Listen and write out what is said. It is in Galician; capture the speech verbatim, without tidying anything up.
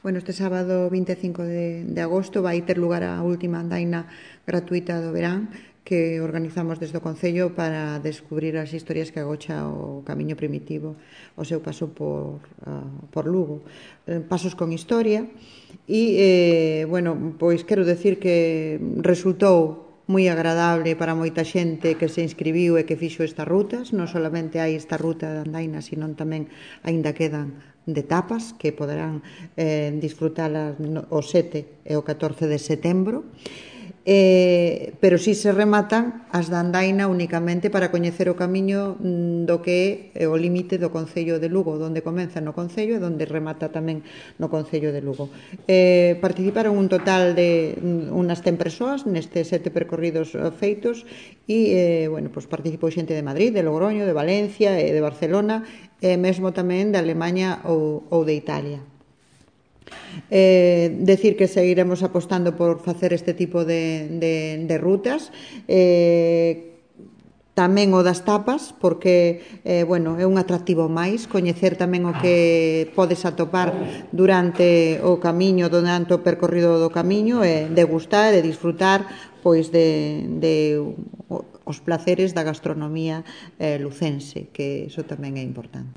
Bueno, este sábado vinte e cinco de, de agosto vai ter lugar a última andaina gratuita do verán que organizamos desde o Concello para descubrir as historias que agocha o camiño primitivo o seu paso por, uh, por Lugo. Eh, pasos con historia e, eh, bueno, pois quero decir que resultou moi agradable para moita xente que se inscribiu e que fixo estas rutas. Non solamente hai esta ruta de andaina, sino tamén aínda quedan de tapas que poderán eh, disfrutalas no, o sete e o catorce de setembro. Eh, pero si se rematan as da andaina únicamente para coñecer o camiño do que é o límite do Concello de Lugo, onde comeza no Concello e onde remata tamén no Concello de Lugo. Eh, participaron un total de unas cen persoas nestes sete percorridos feitos e, eh, bueno, pues participou xente de Madrid, de Logroño, de Valencia e de Barcelona e mesmo tamén de Alemanha ou, ou de Italia. Eh, decir que seguiremos apostando por facer este tipo de, de, de rutas, eh, tamén o das tapas, porque eh, bueno, é un atractivo máis, coñecer tamén o que podes atopar durante o camiño, durante o percorrido do camiño, e degustar e disfrutar pois de, de os placeres da gastronomía eh, lucense, que iso tamén é importante.